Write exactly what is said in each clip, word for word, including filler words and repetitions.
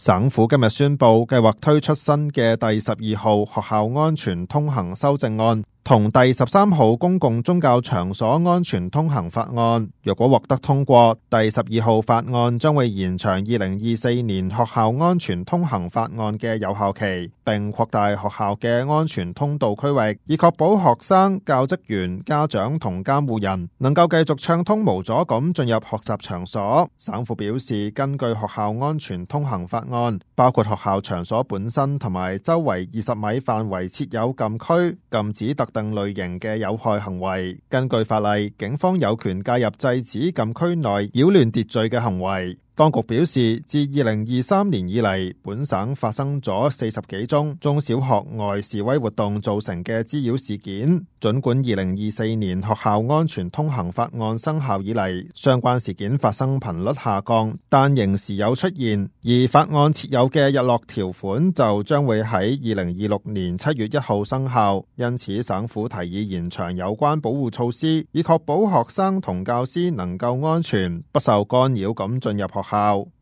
省府今日宣布，計劃推出新嘅第十二號學校安全通行修正案，同第十三號公共宗教場所安全通行法案。若果獲得通過，第十二號法案將會延長二零二四年學校安全通行法案嘅有效期，並擴大學校嘅安全通道區域，以確保學生、教職員、家長同監護人能夠繼續暢通無阻咁進入學習場所。省府表示，根據學校安全通行法案，包括學校場所本身同埋周圍二十米範圍設有禁區，禁止特定類型嘅有害行為。根據法例，警方有權介入制止禁區內擾亂秩序嘅行為。當局表示，自二零二三年以嚟，本省發生咗四十幾宗中小學外示威活動造成嘅滋擾事件。儘管二零二四年學校安全通行法案生效以嚟，相關事件發生頻率下降，但仍時有出現。而法案設有嘅日落條款就將會喺二零二六年七月一號生效，因此省府提議延長有關保護措施，以確保學生同教師能夠安全、不受干擾咁進入學校。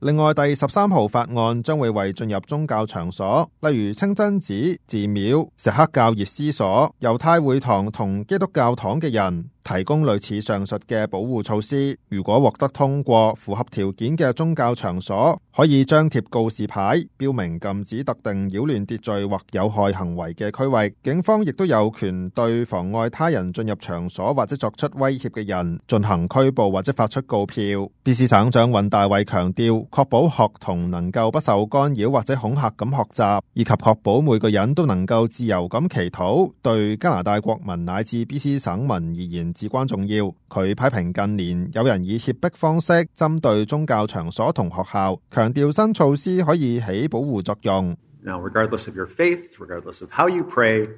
另外，第十三號法案將會為進入宗教場所，例如清真寺、寺廟、錫克教熱思所、猶太會堂同基督教堂嘅人提供類似上述嘅保護措施。如果獲得通過，符合條件嘅宗教場所可以張貼告示牌，標明禁止特定擾亂秩序或有害行為嘅區域。警方亦都有權對妨礙他人進入場所或者作出威脅嘅人進行拘捕或者發出告票。B C 省長尹大衛強調，確保學童能夠不受干擾或者恐嚇咁學習，以及確保每個人都能夠自由咁祈禱，對加拿大國民乃至 B C 省民而言至關重要。佢批評近年有人以脅迫方式針對宗教場所同學校，強調新措施可以起保護作用。Now, regardless of your faith, regardless of how you pray,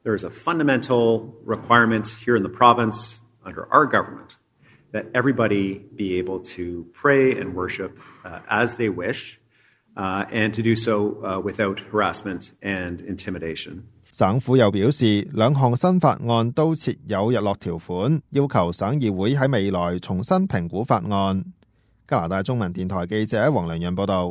there is a fundamental requirement here in the province under our government that everybody be able to pray and worship uh, as they wish, uh, and to do so uh, without harassment and intimidation. 省府又表示，兩項新法案都設有日落條款，要求省議會喺未來重新評估法案。加拿大中文電台記者黃良潤報道。